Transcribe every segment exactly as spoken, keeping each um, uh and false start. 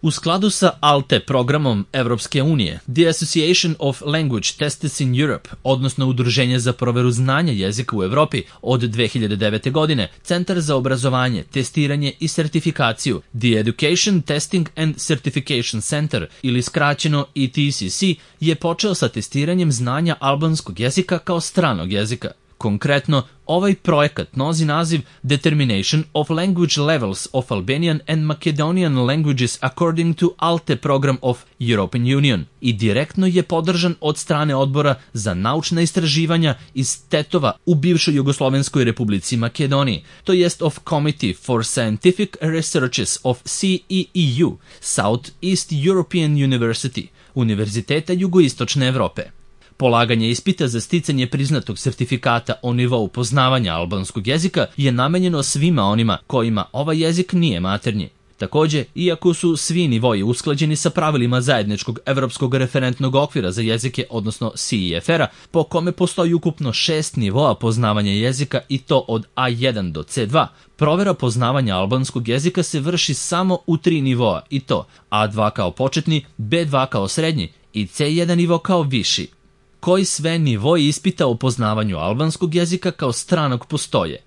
U skladu sa A L T E programom Evropske unije, The Association of Language Testers in Europe, odnosno Udruženje za proveru znanja jezika u Evropi, od dve hiljade devete. godine, Centar za obrazovanje, testiranje i sertifikaciju, The Education Testing and Certification Center, ili skraćeno E T C C, je počeo sa testiranjem znanja albanskog jezika kao stranog jezika. Konkretno, ovaj projekat nosi naziv Determination of Language Levels of Albanian and Macedonian Languages according to A L T E program of European Union i direktno je podržan od strane Odbora za naučna istraživanja iz Tetova u bivšoj Jugoslovenskoj republici Makedoniji, to jest of Committee for Scientific Researches of C E E U, South East European University, Univerziteta Jugoistočne Evrope. Polaganje ispita za sticanje priznatog sertifikata o nivou poznavanja albanskog jezika je namenjeno svima onima kojima ovaj jezik nije maternji. Takođe, iako su svi nivoji usklađeni sa pravilima zajedničkog evropskog referentnog okvira za jezike, odnosno C E F R-a, po kome postoji ukupno šest nivoa poznavanja jezika i to od A jedan do C dva, provera poznavanja albanskog jezika se vrši samo u tri nivoa i to A dva kao početni, B dva kao srednji i C jedan nivo kao viši. Koji sve nivoji ispita o poznavanju albanskog jezika kao stranog postoje?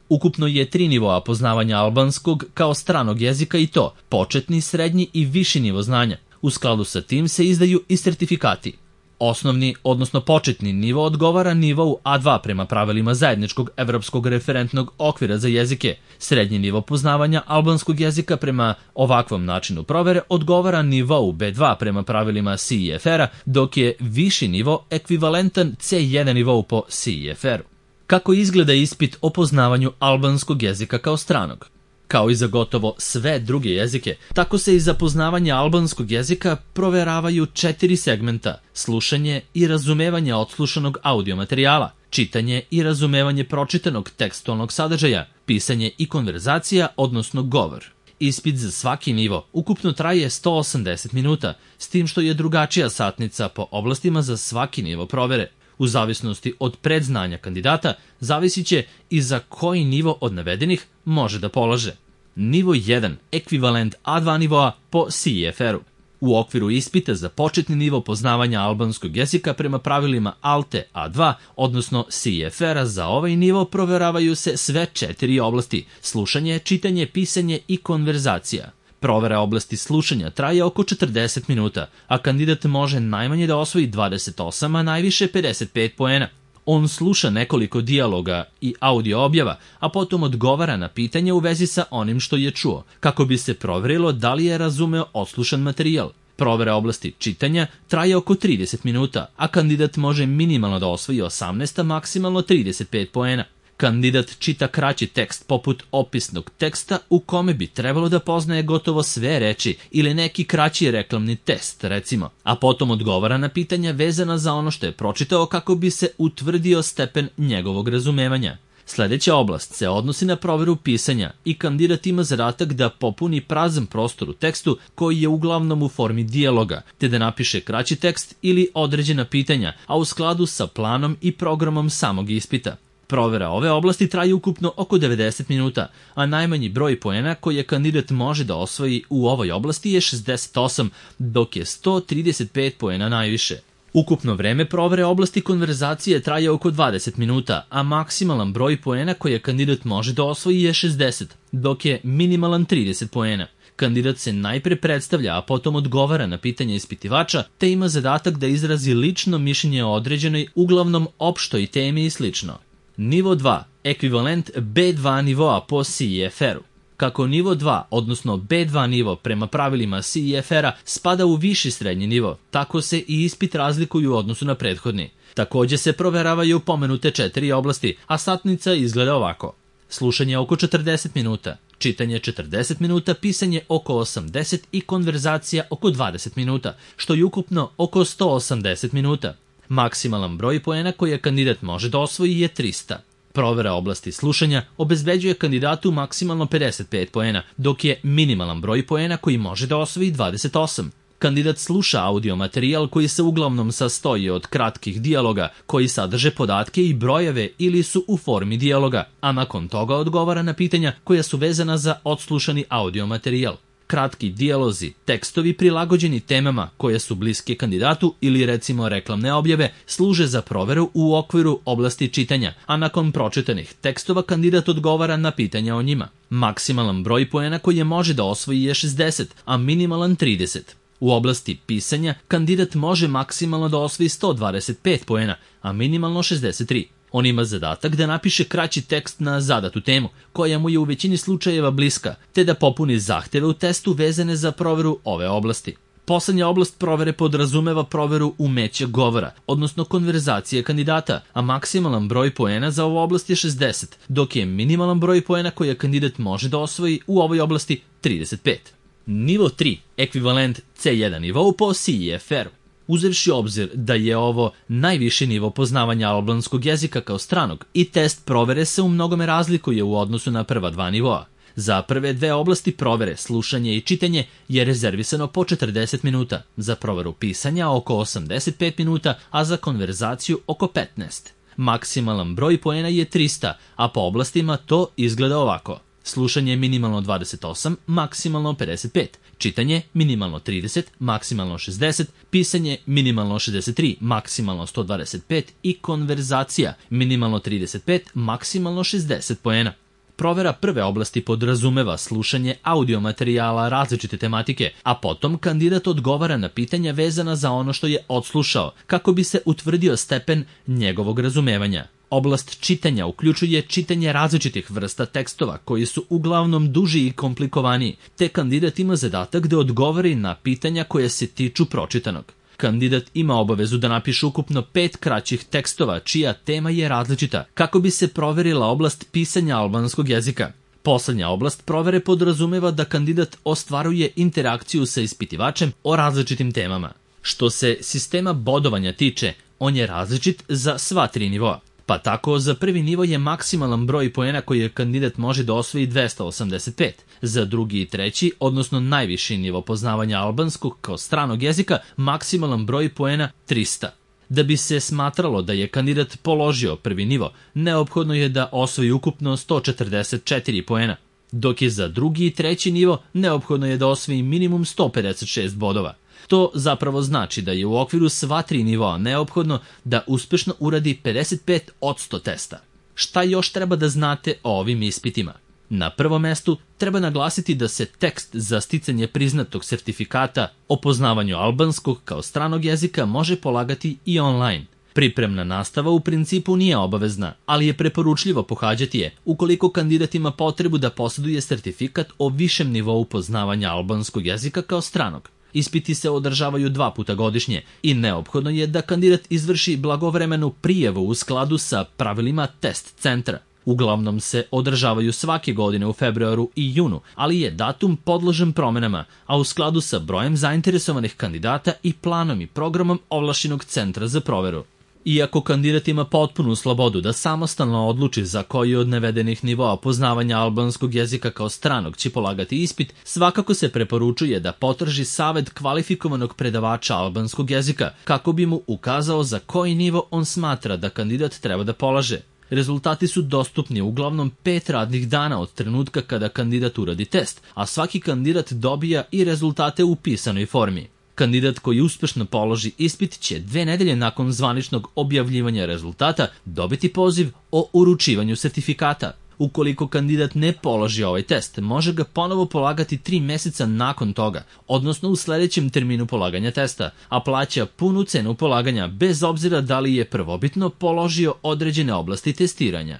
Ukupno je tri nivoa poznavanja albanskog kao stranog jezika i to početni, srednji i viši nivo znanja. U skladu sa tim se izdaju i sertifikati. Osnovni, odnosno početni nivo odgovara nivou A dva prema pravilima zajedničkog evropskog referentnog okvira za jezike. Srednji nivo poznavanja albanskog jezika prema ovakvom načinu provere odgovara nivou B dva prema pravilima C E F R-a, dok je viši nivo ekvivalentan C jedan nivou po C E F R-u. Kako izgleda ispit o poznavanju albanskog jezika kao stranog? Kao i za gotovo sve druge jezike, tako se i za poznavanje albanskog jezika proveravaju četiri segmenta: slušanje i razumevanje odslušanog audio materijala, čitanje i razumevanje pročitanog tekstualnog sadržaja, pisanje i konverzacija, odnosno govor. Ispit za svaki nivo ukupno traje sto osamdeset minuta, s tim što je drugačija satnica po oblastima za svaki nivo provere. U zavisnosti od predznanja kandidata, zavisit će i za koji nivo od navedenih može da polaže. Nivo jedan, ekvivalent A dva nivoa po C E F R-u. U okviru ispita za početni nivo poznavanja albanskog jezika prema pravilima A L T E A dva, odnosno C E F R-a, za ovaj nivo proveravaju se sve četiri oblasti: slušanje, čitanje, pisanje i konverzacija. Provera oblasti slušanja traje oko četrdeset minuta, a kandidat može najmanje da osvoji dvadeset osam, a najviše pedeset pet poena. On sluša nekoliko dijaloga i audio objava, a potom odgovara na pitanja u vezi sa onim što je čuo, kako bi se proverilo da li je razumeo odslušan materijal. Provera oblasti čitanja traje oko trideset minuta, a kandidat može minimalno da osvoji osamnaest, a maksimalno trideset pet poena. Kandidat čita kraći tekst poput opisnog teksta u kome bi trebalo da poznaje gotovo sve reči ili neki kraći reklamni test, recimo, a potom odgovara na pitanja vezana za ono što je pročitao kako bi se utvrdio stepen njegovog razumevanja. Sljedeća oblast se odnosi na proveru pisanja i kandidat ima zadatak da popuni prazan prostor u tekstu koji je uglavnom u formi dijaloga, te da napiše kraći tekst ili određena pitanja, a u skladu sa planom i programom samog ispita. Provera ove oblasti traje ukupno oko devedeset minuta, a najmanji broj poena koje kandidat može da osvoji u ovoj oblasti je šezdeset osam, dok je sto trideset pet poena najviše. Ukupno vreme provere oblasti konverzacije traje oko dvadeset minuta, a maksimalan broj poena koje kandidat može da osvoji je šezdeset, dok je minimalan trideset poena. Kandidat se najpre predstavlja, a potom odgovara na pitanja ispitivača, te ima zadatak da izrazi lično mišljenje o određenoj, uglavnom opštoj temi i slično. Nivo dva, ekvivalent B dva nivoa po C E F R-u. Kako nivo dva, odnosno B dva nivo prema pravilima C E F R-a spada u viši srednji nivo, tako se i ispit razlikuju u odnosu na prethodni. Takođe se proveravaju pomenute četiri oblasti, a satnica izgleda ovako: slušanje oko četrdeset minuta, čitanje četrdeset minuta, pisanje oko osamdeset i konverzacija oko dvadeset minuta, što je ukupno oko sto osamdeset minuta. Maksimalan broj poena koje kandidat može da osvoji je trista. Provera oblasti slušanja obezbeđuje kandidatu maksimalno pedeset pet poena, dok je minimalan broj poena koji može da osvoji dvadeset osam. Kandidat sluša audio materijal koji se uglavnom sastoji od kratkih dijaloga koji sadrže podatke i brojeve ili su u formi dijaloga, a nakon toga odgovara na pitanja koja su vezana za odslušani audio materijal. Kratki dijalozi, tekstovi prilagođeni temama koje su bliske kandidatu ili recimo reklamne objave služe za proveru u okviru oblasti čitanja, a nakon pročitanih tekstova kandidat odgovara na pitanja o njima. Maksimalan broj poena koji je može da osvoji je šezdeset, a minimalan trideset. U oblasti pisanja kandidat može maksimalno da osvoji sto dvadeset pet poena, a minimalno šezdeset tri. On ima zadatak da napiše kraći tekst na zadatu temu, koja mu je u većini slučajeva bliska, te da popuni zahteve u testu vezane za proveru ove oblasti. Poslednja oblast provere podrazumeva proveru umeća govora, odnosno konverzacije kandidata, a maksimalan broj poena za ovu oblast je šezdeset, dok je minimalan broj poena koje kandidat može da osvoji u ovoj oblasti trideset pet. Nivo tri, ekvivalent C jedan nivou po C E F R-u. Uzevši obzir da je ovo najviši nivo poznavanja albanskog jezika kao stranog i test provere se u mnogome razlikuje u odnosu na prva dva nivoa. Za prve dve oblasti provere, slušanje i čitanje, je rezervisano po četrdeset minuta, za proveru pisanja oko osamdeset pet minuta, a za konverzaciju oko petnaest. Maksimalan broj poena je trista, a po oblastima to izgleda ovako. Slušanje minimalno dvadeset osam, maksimalno pedeset pet. Čitanje minimalno trideset, maksimalno šezdeset, pisanje minimalno šezdeset tri, maksimalno sto dvadeset pet i konverzacija minimalno trideset pet, maksimalno šezdeset poena. Provera prve oblasti podrazumeva slušanje audio materijala različite tematike, a potom kandidat odgovara na pitanja vezana za ono što je odslušao, kako bi se utvrdio stepen njegovog razumevanja. Oblast čitanja uključuje čitanje različitih vrsta tekstova koji su uglavnom duži i komplikovaniji, te kandidat ima zadatak da odgovori na pitanja koje se tiču pročitanog. Kandidat ima obavezu da napiše ukupno pet kraćih tekstova čija tema je različita, kako bi se proverila oblast pisanja albanskog jezika. Poslednja oblast provere podrazumeva da kandidat ostvaruje interakciju sa ispitivačem o različitim temama. Što se sistema bodovanja tiče, on je različit za sva tri nivoa. Pa tako, za prvi nivo je maksimalan broj poena koji kandidat može da osvoji dvesta osamdeset pet. Za drugi i treći, odnosno najviši nivo poznavanja albanskog kao stranog jezika, maksimalan broj poena trista. Da bi se smatralo da je kandidat položio prvi nivo, neophodno je da osvoji ukupno sto četrdeset četiri poena, dok je za drugi i treći nivo neophodno je da osvoji minimum sto pedeset šest bodova. To zapravo znači da je u okviru sva tri nivoa neophodno da uspešno uradi pedeset pet posto testa. Šta još treba da znate o ovim ispitima? Na prvom mestu treba naglasiti da se tekst za sticanje priznatog sertifikata o poznavanju albanskog kao stranog jezika može polagati i online. Pripremna nastava u principu nije obavezna, ali je preporučljivo pohađati je ukoliko kandidat ima potrebu da posjeduje sertifikat o višem nivou poznavanja albanskog jezika kao stranog. Ispiti se održavaju dva puta godišnje i neophodno je da kandidat izvrši blagovremenu prijavu u skladu sa pravilima test centra. Uglavnom se održavaju svake godine u februaru i junu, ali je datum podložen promenama, a u skladu sa brojem zainteresovanih kandidata i planom i programom ovlašćenog centra za proveru. Iako kandidat ima potpunu slobodu da samostalno odluči za koji od navedenih nivoa poznavanja albanskog jezika kao stranog će polagati ispit, svakako se preporučuje da potraži savet kvalifikovanog predavača albanskog jezika kako bi mu ukazao za koji nivo on smatra da kandidat treba da polaže. Rezultati su dostupni uglavnom pet radnih dana od trenutka kada kandidat uradi test, a svaki kandidat dobija i rezultate u pisanoj formi. Kandidat koji uspešno položi ispit će dve nedelje nakon zvaničnog objavljivanja rezultata dobiti poziv o uručivanju sertifikata. Ukoliko kandidat ne položi ovaj test, može ga ponovo polagati tri meseca nakon toga, odnosno u sledećem terminu polaganja testa, a plaća punu cenu polaganja bez obzira da li je prvobitno položio određene oblasti testiranja.